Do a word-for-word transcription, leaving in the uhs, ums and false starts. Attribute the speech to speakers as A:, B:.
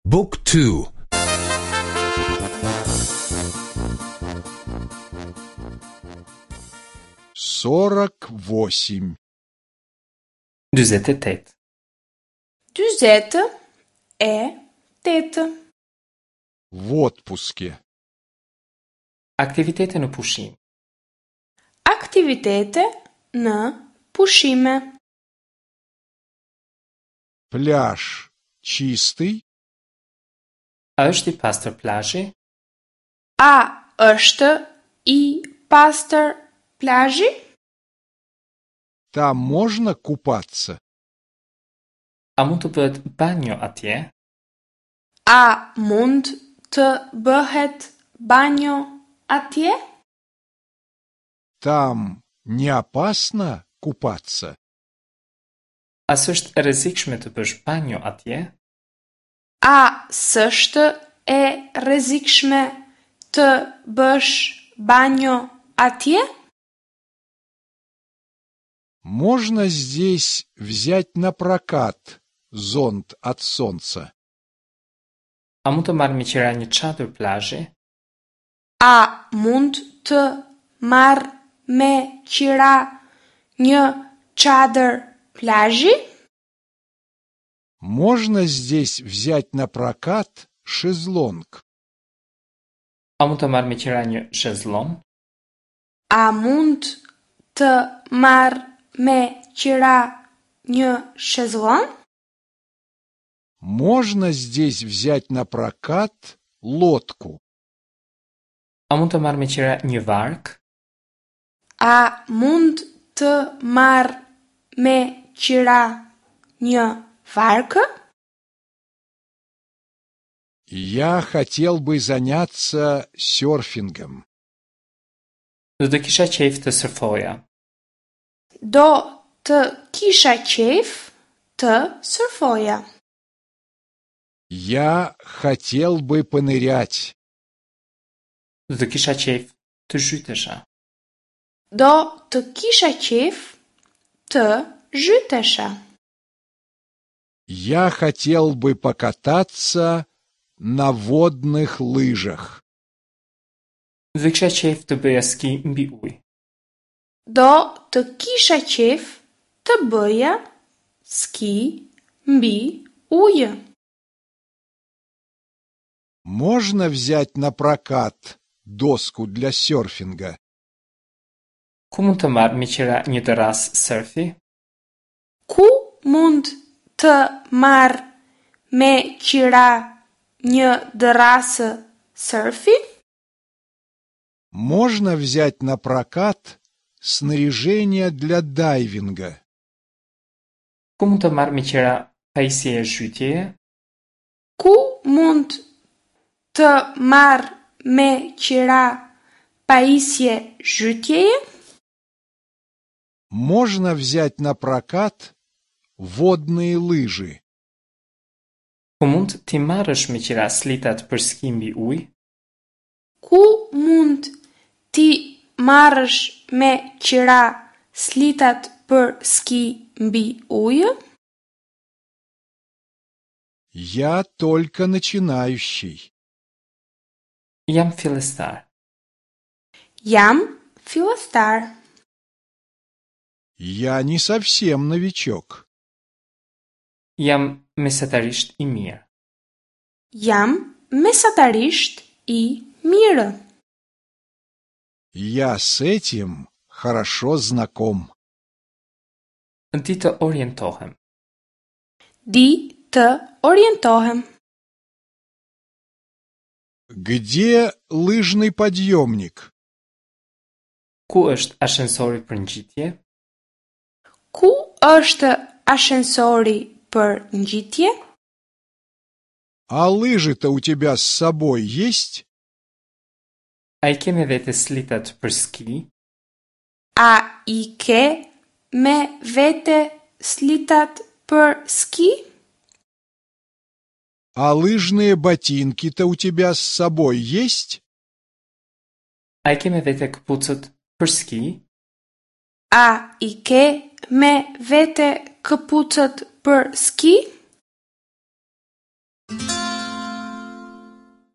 A: Book two.
B: Сорок восемь.
C: Dyzet e tetë.
D: Dyzet e tetë.
B: В отпуске.
C: Aktivitete në pushim.
D: Aktivitete në pushime.
B: Пляж чистый?
C: A është i pastër plazhi?
D: A është i pastër plazhi?
B: Там можно купаться?
C: A mund të bëhet banjo atje?
D: A mund të bëhet banjo atje?
B: Там не опасно купаться?
C: A s'është e rrezikshme të bësh banjo atje?
D: A s'është e rrezikshme të bësh banjo atje?
B: Можно здесь взять напрокат зонт от солнца?
C: A mund të marr me qira një çadër plazhi?
D: A mund të marr me qira një çadër plazhi?
B: Можно здесь взять напрокат шезлонг?
C: A mund të marr me qira një shezlon?
D: A mund të marr me qira një shezlon?
B: Можно здесь взять напрокат лодку?
C: A mund të marr me qira një varkë?
D: A mund të marr me qira një varkë?
B: Я хотел бы заняться серфингом.
C: Do të kisha qejf të surfoja.
D: Do të kisha qejf të surfoja.
B: Я хотел бы понырять.
C: Do të kisha qejf të zhytesha.
D: Do të kisha qejf të zhytesha.
B: Я хотел бы покататься на водных лыжах.
C: Do të kisha qejf të bëja ski mbi ujë.
D: Do të kisha qejf të bëja ski mbi ujë.
B: Можно взять напрокат доску для серфинга?
C: Ku mund të marr me qira një dërrasë surfi?
D: Ku mund të marr me qira një dërrasë surfi?
B: Можно взять напрокат снаряжение для дайвинга?
C: Ku mund të marr me qira pajisje zhytjeje?
D: Ku mund të marr me qira pajisje zhytjeje?
B: Можно взять напрокат водные лыжи?
C: Ku mund t'i marrësh me qira slitat për ski mbi ujë?
D: Ku mund t'i marrësh me qira slitat për ski mbi ujë?
B: Я только начинающий.
C: Jam fillestar.
D: Jam fillestar.
B: Я не совсем новичок.
C: Jam mesatarisht i mirë.
D: Jam mesatarisht i mirë.
B: Я с этим хорошо знаком.
C: Di të orientohem.
D: Di të orientohem.
B: Где лыжный подъемник?
C: Ku është ashensori për ngjitje?
D: Ku është ashensori për ngjitje?
B: А лыжи-то у тебя с собой есть?
C: A i ke me vete slitat për ski?
D: A i ke me vete slitat për ski?
B: А лыжные ботинки-то у тебя с собой есть?
C: A i ke me vete këpucët për ski?
D: A i ke me vete këpucët për ski?